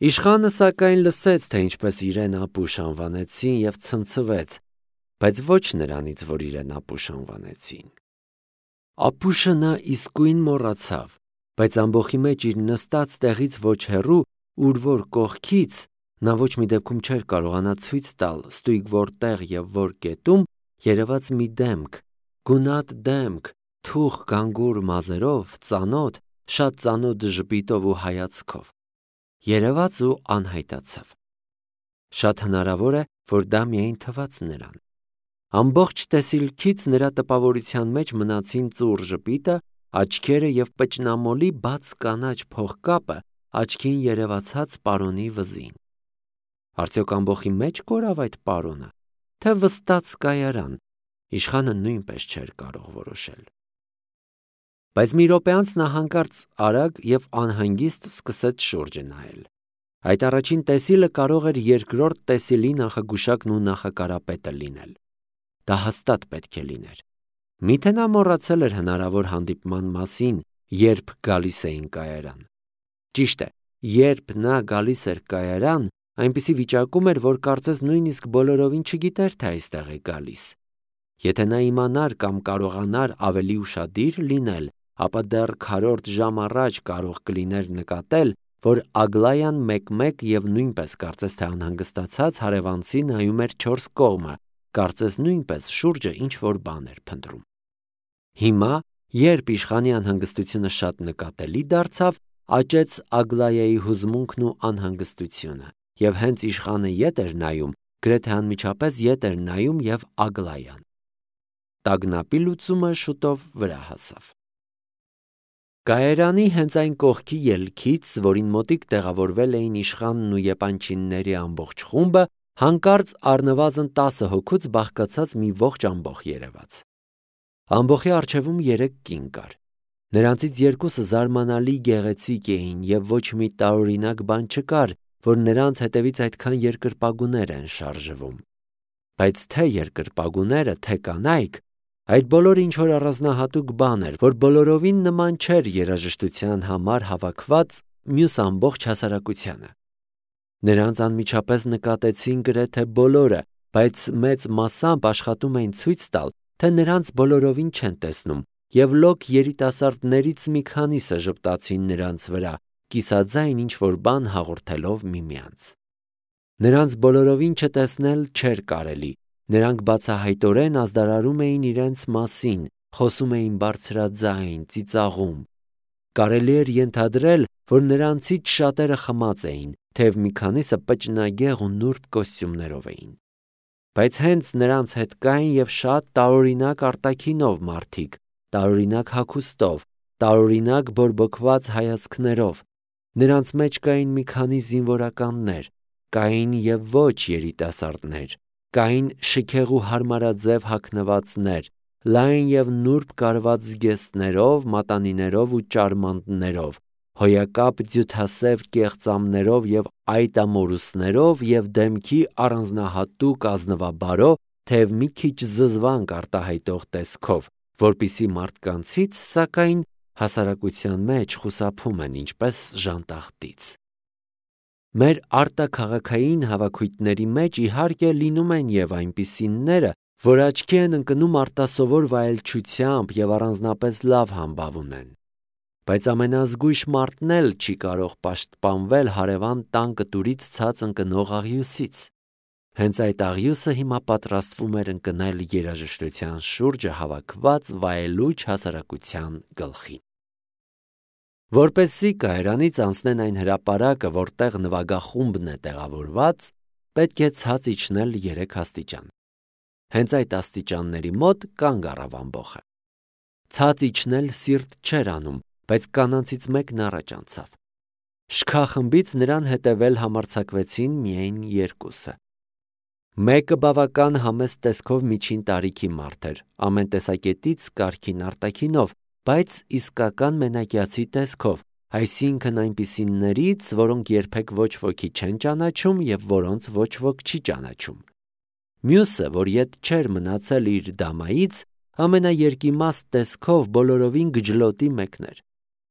Իշխանը սակայն լսեց, թե ինչպես իրեն Ապուշ անվանեցին և ցնցվեց, բայց ոչ նրանից, որ իրեն Ապուշ անվանեցին։ Ապուշը նա իսկույն մոռացավ, բայց ամբոխի մեջ իր նստած տեղից ոչ հեռու, ուր որ կողքից նա ոչ մի դեպքում չէր կարողանա ցույց տալ ստույգ որտեղ և որ կետում երևաց մի դեմք, գունատ դեմք, թուխ գանգուր մազերով, ծանոթ, շատ ծանոթ ժպիտով ու հայացքով։ Երևաց ու անհայտացավ։ Շատ հնարավոր է, որ դա միայն թվաց նրան։ Ամբողջ տեսիլքից նրա տպավորության մեջ մնացին ծուռ ժպիտը, աչքերը և պճնամոլի բաց կանաչ փողկապը աչքին երևացած պարոնի վզին։ Արդյոք ամբոխի մեջ կորավ այդ պարոնը, թե վստաց կայարան, իշխանը նույնպես չէր կարող որոշել։ Բայց մի րոպե անց նա հանկարծ արագ և անհանգիստ սկսեց շուրջը նայել։ Այդ առաջին տեսիլը կարող էր երկրորդ տեսիլի նախագուշակն ու նախակարապետը լինել։ Դա հաստատ պետք է լիներ։ Միթե նա մոռացել էր հնարավոր հանդիպման մասին, երբ գալիս էին կայարան։ Ճիշտ է, երբ նա գալիս էր կայարան, այնպիսի վիճակում էր, որ կարծես նույնիսկ բոլորովին չգիտեր, թե այստեղ է գալիս։ Եթե նա իմանար կամ կարողանար ավելի ուշադիր լինել, ապա դեռ քառորդ ժամ առաջ կարող կլիներ նկատել, որ Ագլայան մեկ-մեկ և նույնպես կարծես թե անհանգստացած հարևանցի նայում էր չորս կողմը, կարծես նույնպես շուրջը ինչ-որ բան էր փնտրում։ Հիմա, երբ իշխանի անհանգստությունը շատ նկատելի դարձավ, աճեց Ագլայայի հուզմունքն ու անհանգստությունը, և հենց իշխանը ետ էր նայում, գրեթե անմիջապես ետ էր նայում և Ագլայան։ Տագնապի լուծումը շուտով վրա հասավ։ Կայարանի հենց այն կողքի ելքից, որին մոտիկ տեղավորվել էին իշխանն ու եպանչինների ամբողջ խումբը, հանկարծ առնվազն 10 հոգուց բաղկացած մի ողջ ամբոխ երևաց։ Ամբոխի առջևում 3 կին կար։ Նրանցից երկուսը զարմանալի գեղեցիկ էին և ոչ մի տարօրինակ բան չկար, որ նրանց հետևից այդքան երկրպագուներ են շարժվում։ Բայց թե երկրպագուները, թե կանայք, այդ բոլորը ինչ-որ առանձնահատուկ բան էր, որ բոլորովին նման չէր երաժշտության համար հավաքված մյուս ամբողջ հասարակությանը։ Նրանց անմիջապես նկատեցին գրեթե բոլորը, բայց մեծ մասամբ աշխատում էին ցույց տալ, թե նրանց բոլորովին չեն տեսնում, և լոկ երիտասարդներից մի քանիսը ժպտացին նրանց վրա, կիսաձայն ինչ-որ բան հաղորդելով միմյանց։ Նրանց բոլորովին չտեսնել չէր կարելի, նրանք բացահայտորեն ազդարարում էին իրենց մասին, խոսում էին բարձրաձայն, ծիծաղում։ Կարելի էր ենթադրել, որ նրանցից շատերը խմած էին, թեև մի քանիսը պճնագեղ ու նուրբ կոստյումներով էին։ Բայց հենց նրանց հետ կային և շատ տարօրինակ արտաքինով մարդիկ, տարօրինակ հագուստով, տարօրինակ բորբոքված հայացքներով։ Նրանց մեջ կային մի քանի զինվորականներ, կային և ոչ երիտասարդներ, կային շքեղ ու հարմարաձև հագնվածներ, լայն և նուրբ կարված զգեստներով, մատանիներով ու ճարմանտներով, հոյակապ ձյութասև կեղծամներով և այտամորուսներով և դեմքի առանձնահատուկ ազնվաբարո, թեև մի քիչ զզվանք արտահայտող տեսքով, որպիսի մարդկանցից, սակայն, հասարակության մեջ խուսափում են ինչպես ժանտախտից։ Մեր արտաքաղաքային հավաքույթների մեջ իհարկե լինում են և այնպիսիները, որ աչքի են ընկնում արտասովոր վայելչությամբ և առանձնապես լավ համբավ ունեն։ Բայց ամենազգույշ մարդն էլ չի կարող պաշտպանվել հարևան տան կտուրից ցած ընկնող աղյուսից։ Հենց այդ աղյուսը հիմա պատրաստվում էր ընկնել երաժշտության շուրջը հավաքված վայելուչ հասարակության գլխին։ Որպեսզի կայարանից անցնեն այն հրապարակը, որտեղ նվագախումբն է տեղավորված, պետք է ցած իջնել 3 աստիճան։ Հենց այդ աստիճանների մոտ կանգ առավ ամբոխը։ Ցած իջնել սիրտ չէր անում, բայց կանանցից մեկն առաջ անցավ։ Շքախմբից նրան հետևել համարձակվեցին միայն 2-ը։ Մեկը բավական համեստ տեսքով միջին տարիքի մարդ էր, ամեն տեսակետից կարգին արտաքինով, բայց իսկական մենակյացի տեսքով, այսինքն այնպիսիներից, որոնք երբեք ոչ ոքի չեն ճանաչում և որոնց ոչ ոք չի ճանաչում։ Մյուսը, որ ետ չէր մնացել իր դամայից, ամենաերկիմաստ տեսքով բոլորովին գջլոտի մեկն էր։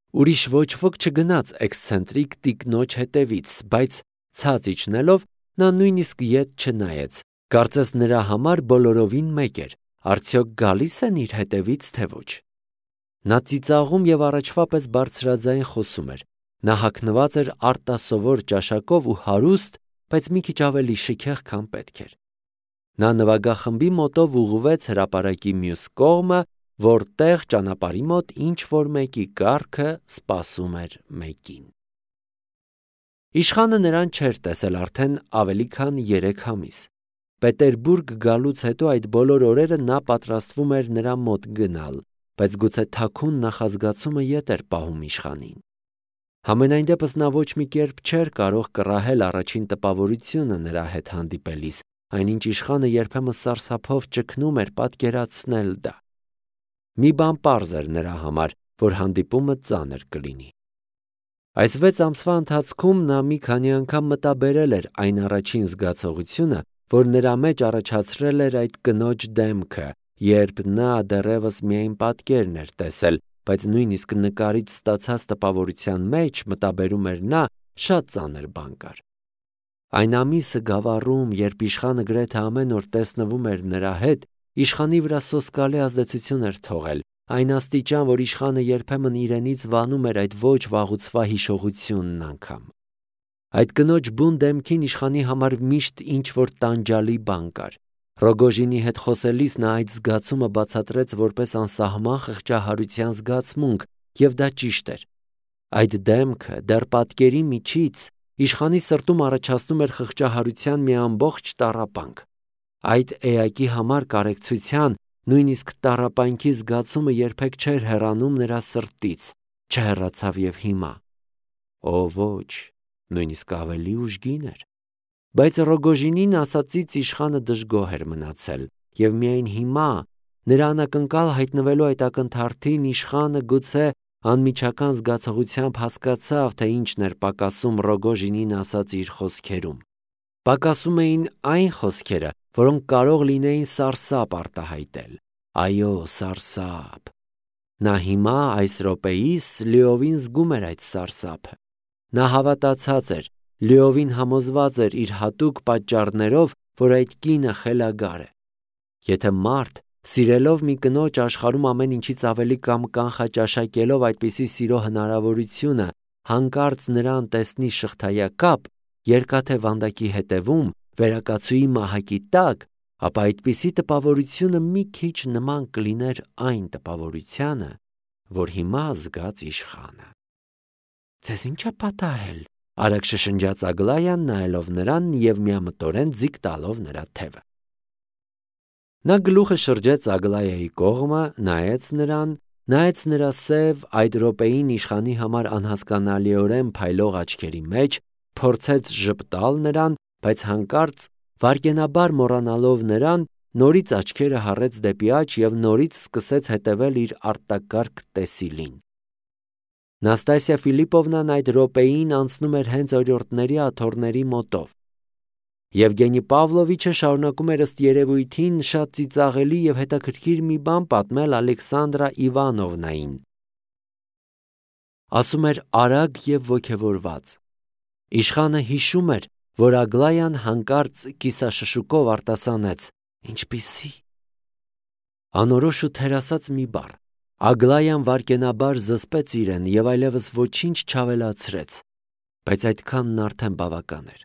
Ուրիշ ոչ ոք չգնաց էքսցենտրիկ տիկնոջ հետևից, բայց ցած իջնելով նա նույնիսկ ետ չնայեց, կարծես նրա համար բոլորովին մեկ էր, արդյոք գալիս են իր հետևից թե ոչ։ Նա ծիծաղում և առաջվա պես բարձրաձայն խոսում էր, նա հագնված էր արտասովոր ճաշակով ու հարուստ, բայց մի քիչ ավելի շքեղ, քան պետք էր։ Նա նվագախմբի մոտով ուղղվեց հրապարակի մյուս կողմը, որտեղ ճանապարհի մոտ ինչ-որ մեկի կառքը սպասում էր մեկին։ Իշխանը նրան չէր տեսել արդեն ավելի քան 3 ամիս։ Պետերբուրգ գալուց հետո այդ բոլոր օրերը նա պատրաստվում էր նրա մոտ գնալ, բայց գուցե թաքուն նախազգացումը ետ էր պահում իշխանին։ Համենայն դեպս նա ոչ մի կերպ չէր կարող կռահել առաջին տպավորությունը նրա հետ հանդիպելիս, այնինչ իշխանը երբեմն սարսափով ճգնում էր պատկերացնել դա։ Մի բան պարզ էր նրա համար, որ հանդիպումը ծանր կլինի։ Այս 6 ամսվա ընթացքում նա մի քանի անգամ մտաբերել էր այն առաջին զգացողությունը, որ նրա մեջ առաջացրել էր այդ կնոջ դեմքը, երբ նա դեռևս միայն պատկերն էր տեսել, բայց նույնիսկ նկարից ստացած տպավորության մեջ, մտաբերում էր նա, շատ ծանր բան կար։ Այն ամիսը գավառում, երբ իշխանը գրեթե ամեն օր տեսնվում էր նրա հետ, իշխանի վրա սոսկալի ազդեցություն էր թողել, այն աստիճան, որ իշխանը երբեմն իրենից վանում էր այդ ոչ վաղուցվա հիշողությունն անգամ։ Այդ կնոջ բուն դեմքին իշխանի համար միշտ ինչ-որ տանջալի բան կար։ Ռոգոժինի հետ խոսելիս նա այդ զգացումը բացատրեց որպես անսահման խղճահարության զգացմունք, և դա ճիշտ էր։ Այդ դեմքը դեռ պատկերի միջից իշխանի սրտում առաջացնում էր խղճահարության մի ամբողջ տառապանք։ Այդ էակի համար կարեկցության, նույնիսկ տառապանքի զգացումը երբեք չէր հեռանում նրա սրտից, չհեռացավ և հիմա։ Օ ոչ, նույնիսկ ավելի ուժգին էր։ Բայց Ռոգոժինին ասածից իշխանը դժգոհ էր մնացել, և միայն հիմա, նրա անակնկալ հայտնվելու այդ ակնթարթին, իշխանը գուցե անմիջական զգացողությամբ հասկացավ, թե ինչն էր պակասում Ռոգոժինին ասած իր խոսքերում։ Պակասում էին այն խոսքերը, որոնք կարող լինեին սարսափ արտահայտել։ Այո, սարսափ։ Նա հիմա այս րոպեիս լիովին զգում էր այդ սարսափը։ Նա հավատացած էր, լիովին համոզված էր իր հատուկ պատճառներով, որ այդ կինը խելագար է։ Եթե մարդ, սիրելով մի կնոջ, աշխարհում ամեն ինչից ավելի կամ կանխաճաշակելով այդպիսի սիրո հնարավորությունը, հանկարծ նրան տեսնի շղթայակապ, երկաթե վանդակի հետևում, վերակացուի մահակի տակ, ապա այդպիսի տպավորությունը մի քիչ նման կլիներ այն տպավորությանը, որ հիմա զգաց իշխանը։ «Ձեզ ի՞նչ է պատահել», արագ շշնջաց Ագլայան, նայելով նրան և միամտորեն ձիգ տալով նրա թևը։ Նա գլուխը շրջեց Ագլայայի կողմը, նայեց նրան, նայեց նրա սև, այդ րոպեին իշխանի համար անհասկանալիորեն փայլող աչքերի մեջ, փորձեց ժպտալ նրան, բայց հանկարծ, վայրկենաբար մոռանալով նրան, նորից աչքերը հառեց դեպի աջ և նորից սկսեց հետևել իր արտակարգ տեսիլին։ Նաստասիա Ֆիլիպովնան այդ րոպեին անցնում էր հենց օրիորդների աթոռների մոտով։ Եվգենի Պավլովիչը շարունակում էր ըստ երևույթին շատ ծիծաղելի և հետաքրքիր մի բան պատմել Ալեքսանդրա Իվանովնային։ Ասում էր արագ և ոգևորված։ Իշխանը հիշում էր, որ Ագլայան հանկարծ կիսաշշուկով արտասանեց. «Ինչպիսի»։ Անորոշ ու թերասած մի բառ։ Ագլայան վայրկենաբար զսպեց իրեն և այլևս ոչինչ չավելացրեց, բայց այդքանն արդեն բավական էր։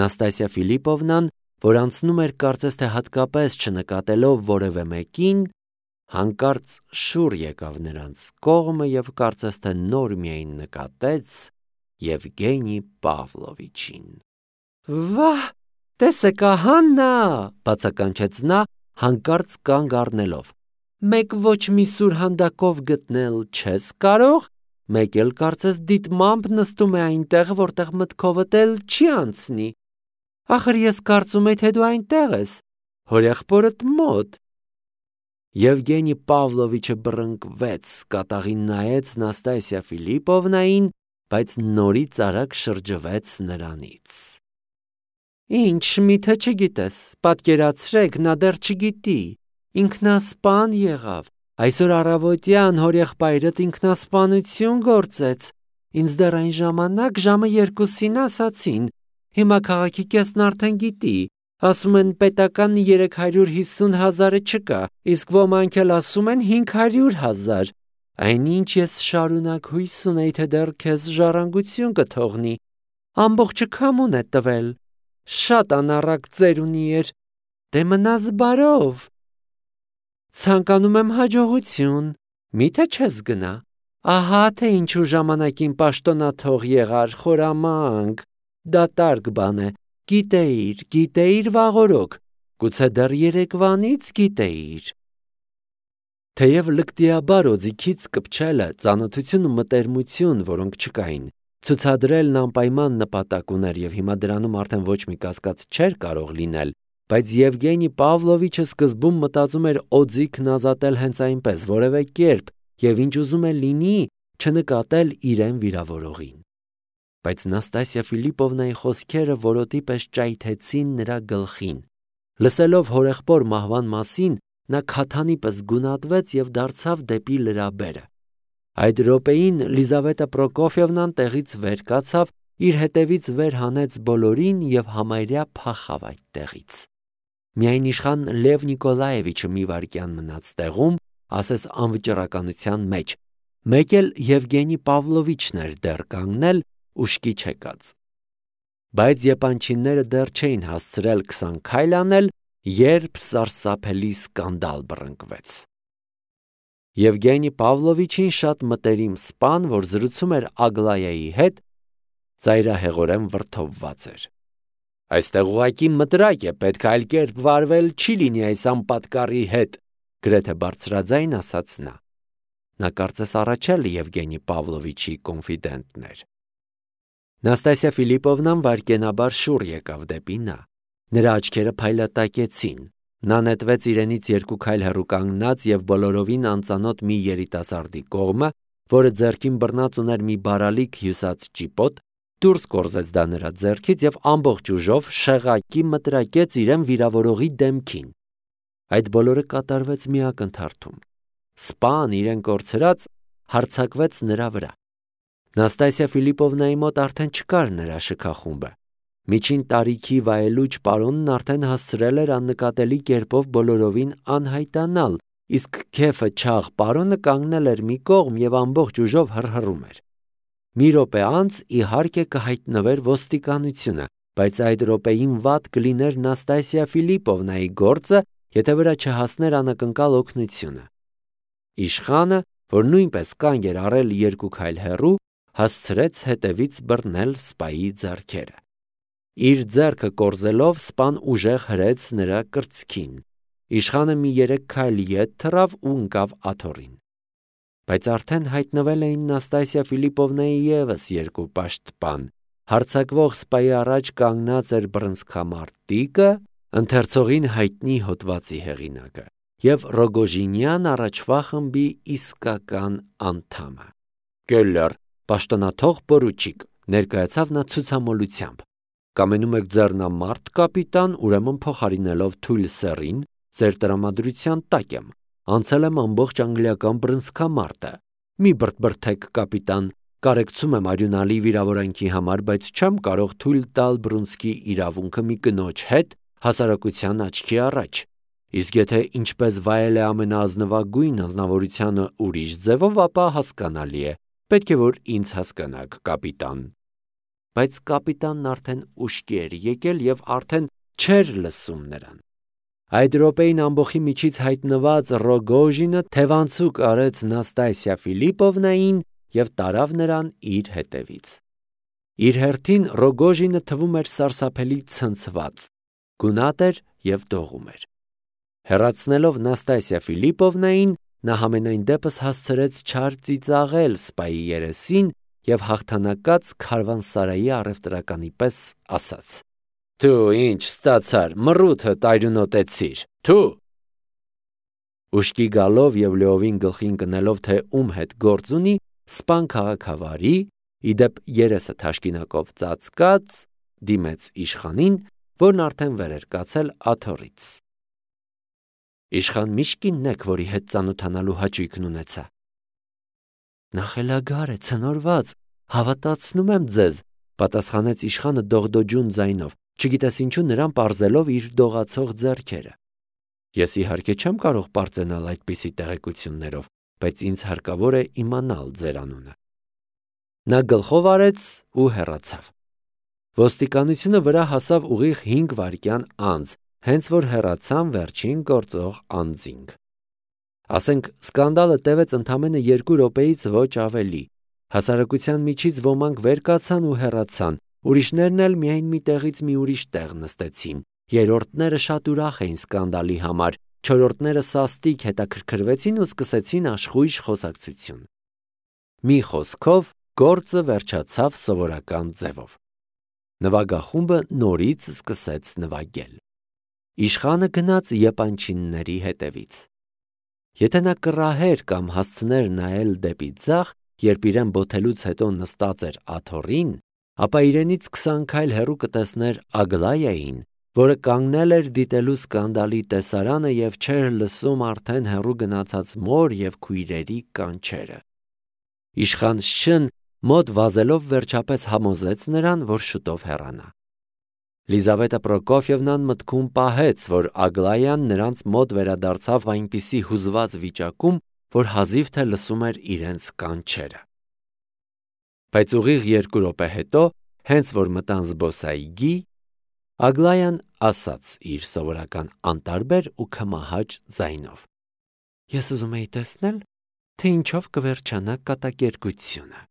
Նաստասիա Ֆիլիպովնան, որ անցնում էր կարծես թե հատկապես չնկատելով որևէ մեկին, հանկարծ շուռ եկավ նրանց կողմը և կարծես թե նոր միայն նկատեց Եվգենի Պավլովիչին։ «Վա՜, տեսեք, ահա նա», բացականչեց նա, հանկարծ կանգ առնելով։ «Մեկ ոչ մի սուրհանդակով գտնել չես կարող, մեկ էլ կարծես դիտմամբ նստում է այնտեղ, որտեղ մտքովդ էլ չի անցնի։ Ախր ես կարծում էի, թե դու այնտեղ ես, հորեղբորդ մոտ»։ Եվգենի Պավլովիչը բռնկվեց, կատաղի նայեց Նաստասիա Ֆիլիպովնային, բայց նորից արագ շրջվեց նրանից։ «Ինչ, միթե չգիտես, պատկերացրեք, նա դեռ չգիտի, ինքնասպան եղավ, Այսօր առավոտյան հորեղբայրդ ինքնասպանություն գործեց։ Ինձ դեռ այն ժամանակ ժամը 2-ին ասացին։ Հիմա քաղաքի կեսն արդեն գիտի։ Ասում են պետական 350,000-ը չկա, իսկ ոմանք էլ ասում են 500,000։ Այնինչ ես շարունակ հույս ունեի, թե դեռ քեզ ժառանգություն կթողնի։ Ամբողջը քամուն է տվել։ Շատ անառակ ծերունի էր։ Դե մնաս բարով։ Ցանկանում եմ հաջողություն։ Միթե չես գնա։ Ահա թե ինչու ժամանակին պաշտոնաթող եղար, խորամանկ։ Դատարկ բան է։ Գիտեիր վաղորոք։ Գուցե դեռ երեկվանից գիտեիր։ Թեև լկտիաբար օձիքից կպչելը, ծանոթություն ու մտերմություն, որոնք չկային, ցուցադրելն անպայման նպատակ ուներ եւ հիմա դրանում արդեն ոչ մի կասկած չէր կարող լինել, բայց Եվգենի Պավլովիչը սկզբում մտածում էր օձիքն ազատել հենց այնպես, որևէ կերպ եւ ինչ ուզում է լինի, չնկատել իրեն վիրավորողին։ Բայց Նաստասիա Ֆիլիպովնայի խոսքերը որոտի պես ճայթեցին նրա գլխին։ Լսելով հորեղբոր մահվան մասին, նա քաթանի պես գունատվեց եւ դարձավ դեպի լրաբերը։ Այդ րոպեին Լիզավետա Պրոկոֆիևնան տեղից վեր կացավ, իր հետևից վեր հանեց բոլորին եւ համարյա փախավ այդ տեղից։ Միայն իշխան Լև Նիկոլաևիչը մի վայրկյան մնաց տեղում, ասես անվճռականության մեջ։ Մեկ էլ Եվգենի Պավլովիչն էր դեռ կանգնել ուշքի չեկած։ Բայց եպանչիները դեռ չէին հասցրել 20 քայլ անել, երբ սարսափելի սկանդալ բռնկվեց։ Եվգենի Պավլովիչին շատ մտերիմ սպան, որ զրուցում էր Ագլայայի հետ, ծայրահեղորեն վրդովված էր։ Այստեղ ուղղակի մտրակ է, պետք է այլ կերպ վարվել չի լինի այս անպատկառի հետ, գրեթե բարձրաձայն ասաց նա։ Նա կարծես առաջել Եվգենի Պավլովիչի կոնֆիդենտն էր։ Նաստասիա Ֆիլիպովնան վայրկենաբար շուռ եկավ դեպի նա։ Նրա աչքերը փայլատակեցին։ Նա նետվեց իրենից 2 քայլ հեռու կանգնած եւ բոլորովին անծանոթ մի երիտասարդի կողմը, որը ձեռքին բռնած ուներ մի բարալիկ հյուսած ճիպոտ, դուրս կորզեց դա նրա ձեռքից եւ ամբողջ ուժով շեղակի մտրակեց իրեն վիրավորողի դեմքին։ Այդ բոլորը կատարվեց մի ակնթարթում։ Սպան իրեն կորցրած հարձակվեց նրա վրա։ Նաստասիա Ֆիլիպովնայի մոտ արդեն չկար նրա շքախումբը։ Միջին տարիքի վայելուչ պարոնն արդեն հասցրել էր աննկատելի կերպով բոլորովին անհայտանալ, իսկ քեֆը չաղ պարոնը կանգնել էր մի կողմ եւ ամբողջ ուժով հռհռում էր։ Մի րոպե անց իհարկե կհայտնվեր ոստիկանությունը, բայց այդ րոպեին վատ կլիներ Նաստասիա Ֆիլիպովնայի գործը, եթե վրա չհասներ անակնկալ օգնությունը։ Իշխանը, որ նույնպես կանգ էր առել 2 քայլ հեռու, հասցրեց հետևից բռնել սպայի ձեռքերը։ Իր ձեռքը կորզելով սպան ուժեղ հրեց նրա կրծքին։ Իշխանը մի 3 քայլ ետ թռավ ու ընկավ աթոռին։ Բայց արդեն հայտնվել էին Նաստասիա Ֆիլիպովնայի ևս 2 պաշտպան։ Հարձակվող սպայի առաջ կանգնած էր բռնցքամարտիկը, ընթերցողին հայտնի հոդվածի հեղինակը, եւ Ռոգոժինյան առաջվա խմբի իսկական անդամը։ Կելլեր, պաշտոնաթող պորուչիկ, ներկայացավ նա ցուցամոլությամբ։ Կամենում եք ձեռնամարտ, կապիտան, ուրեմն փոխարինելով թույլ սեռին, ձեր տրամադրության տակ եմ։ Անցել եմ ամբողջ անգլիական բռնցքամարտը։ Մի բրթբրթեք, կապիտան, կարեկցում եմ արյունալի վիրավորանքի համար, բայց չեմ կարող թույլ տալ բռունցքի իրավունքը մի կնոջ հետ հասարակության աչքի առաջ։ Իսկ եթե ինչպես վայել է ամենազնվագույն անznավորությունը ուրիշ ձևով, ապա հասկանալի է։ Պետք է որ ինձ հասկանաք, կապիտան։ Բայց կապիտանն արդեն ուշքի էր եկել եւ արդեն չէր լսում նրան։ Այդ րոպեին ամբողջի միջից հայտնված Ռոգոժինը թևանցուկ արեց Նաստասիա Ֆիլիպովնային եւ տարավ նրան իր հետևից։ Իր հերթին Ռոգոժինը թվում էր սարսափելի ցնցված, գունատ էր եւ դողում էր։ Հեռացնելով Նաստասիա Ֆիլիպովնային, նա համենայն դեպս հասցրեց չար ծիծաղել սպայի երեսին եւ հաղթանակած քարվանսարայի առևտրականի պես ասաց. Դու ինչ ստացար, մռութը տայրունոտեցիր, դու։ Ուշքի գալով եւ լեովին գլխին կնելով, թե ում հետ գործ ունի, սպան քաղաքավարի, իդեպ երեսը թաշկինակով ծածկած, դիմեց իշխանին, որն արդեն վեր էր կացել աթոռից։ Իշխան Միշկինն եք, որի հետ ծանոթանալու հաճույքն ունեցա։ Նա խելագար է, ցնորված, հավատացնում եմ ձեզ, պատասխանեց իշխանը դողդոջուն ձայնով, չգիտես ինչու նրան պարզելով իր դողացող ձեռքերը։ Ես իհարկե չեմ կարող պարծենալ այդպիսի տեղեկություններով, բայց ինձ հարկավոր է իմանալ ձեր անունը։ Նա գլխով արեց ու հեռացավ։ Ոստիկանությունը վրա հասավ ուղիղ 5 վայրկյան անց, հենց որ հեռացան վերջին գործող անձինք։ Ասենք սկանդալը տևեց ընդամենը 2 րոպեից ոչ ավելի։ Հասարակության միջից ոմանք վեր կացան ու հեռացան, ուրիշներն էլ միայն մի տեղից մի ուրիշ տեղ նստեցին։ Երրորդները շատ ուրախ էին սկանդալի համար, չորրորդները սաստիկ հետաքրքրվեցին ու սկսեցին աշխույժ խոսակցություն։ Մի խոսքով գործը վերջացավ սովորական ձևով։ Նվագախումբը նորից սկսեց նվագել։ Իշխանը գնաց եպանչինների հետևից։ Եթե նա կռահեր կամ հասցներ նայել դեպի ձախ, երբ իրեն բոթելուց հետո նստած էր աթոռին, ապա իրենից 20 քայլ հեռու կտեսներ Ագլայային, որը կանգնել էր դիտելու սկանդալի տեսարանը և չէր լսում արդեն հեռու գնացած մոր և քույրերի կանչերը։ Իշխան Շ-ն մոտ վազելով վերջապես համոզեց նրան, որ շուտով հեռանա։ Լիզավետա Պրոկոֆյևնան մտքում պահեց, որ Ագլայան նրանց մոտ վերադարձավ այնպիսի հուզված վիճակում, որ հազիվ թե լսում էր իրենց կանչերը։ Բայց ուղիղ 2 րոպե հետո, հենց որ մտան զբոսայգի, Ագլայան ասաց իր սովորական անտարբեր ու քմահաճ ձայնով. Ես ուզում էի տեսնել, թե ինչով կվերջանա կատակերգությունը։